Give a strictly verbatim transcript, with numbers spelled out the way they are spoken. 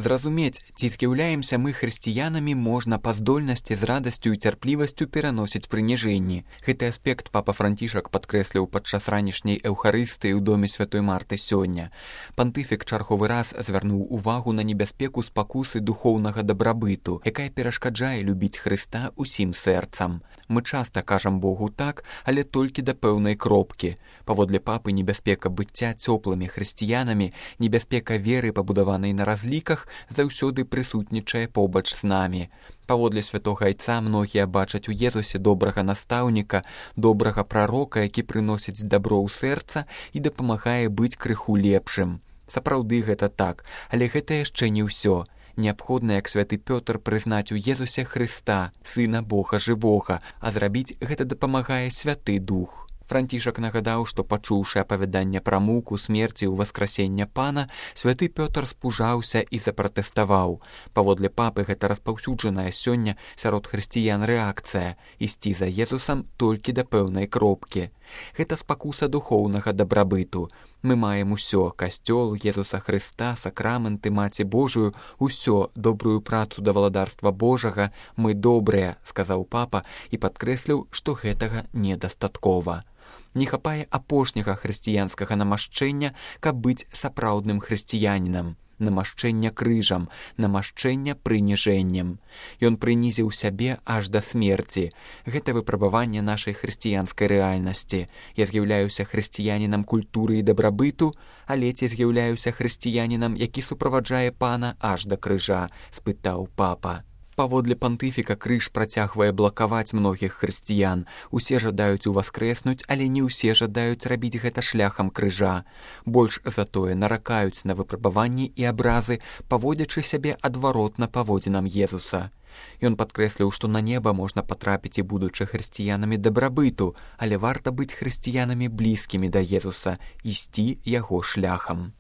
Зразумець, ці з'яўляемся мы хрысціянамі, можна па здольнасці з радасцю і цярплівасцю пераносіць прыніжэнні. Гэты аспект папа Францішак падкрэсліў падчас ранішняй эўхарыстыі ў доме святой Марты сёння. Пантыфік чарговы раз звярнуў увагу на небяспеку спакусы духоўнага дабрабыту, якая перашкаджае любіць Хрыста ўсім сэрцам. Мы часта кажам Богу так, але толькі да пэўнай кропкі. Паводле папы, небяспека быцця цёплымі хрысціянамі, небяспека веры, пабудаванай на разліках, заўсёды прысутнічае побач з намі. Паводле святога айца многія бачаць у Езусе добрага настаўніка, добрага прарока, які прыносіць дабро ў сэрца і дапамагае быць крыху лепшым. Сапраўды гэта так, але гэта яшчэ не ўсё. Неабходна, як святы Пётр, прызнаць у Езусе Хрыста, Сына Бога жывога, а зрабіць гэта дапамагае Святы Дух. Францішак нагадаў, што, пачуўшы апавяданне пра муку, смерці і ўваскрасення Пана, святы Пётр спужаўся і запратэставаў. Паводле папы, гэта распаўсюджаная сёння сярод хрысціян рэакцыя – ісці за Езусам толькі да пэўнай кропкі. Гэта спакуса духоўнага дабрабыту. Мы маем усё – касцёл, Езуса Хрыста, сакрамэнты, Маці Божую, усё, добрую працу да валадарства Божага. Мы добрыя, сказаў папа і падкрэсліў, што гэтага недастаткова. Не хапае апошняга хрысціянскага намашчэння, каб быць сапраўдным хрысціянінам. Намашчэння крыжам, намашчэння прыніжэннем. Ён прынізіў сябе аж да смерці. Гэта выпрабаванне нашай хрысціянскай рэальнасці. Я з'яўляюся хрысціянінам культуры і дабрабыту, але ці з'яўляюся хрысціянінам, які суправаджае Пана аж да крыжа, спытаў папа. Паводле пантыфіка, крыж працягвае блакаваць многіх хрысціян. Усе жадаюць уваскрэснуць, але не ўсе жадаюць рабіць гэта шляхам крыжа. Больш за тое, наракаюць на выпрабаванні і абразы, паводзячы сябе адваротна паводзінам Езуса. Ён падкрэсліў, што на неба можна патрапіць і будучы хрысціянамі дабрабыту, але варта быць хрысціянамі блізкімі да Езуса, ісці яго шляхам.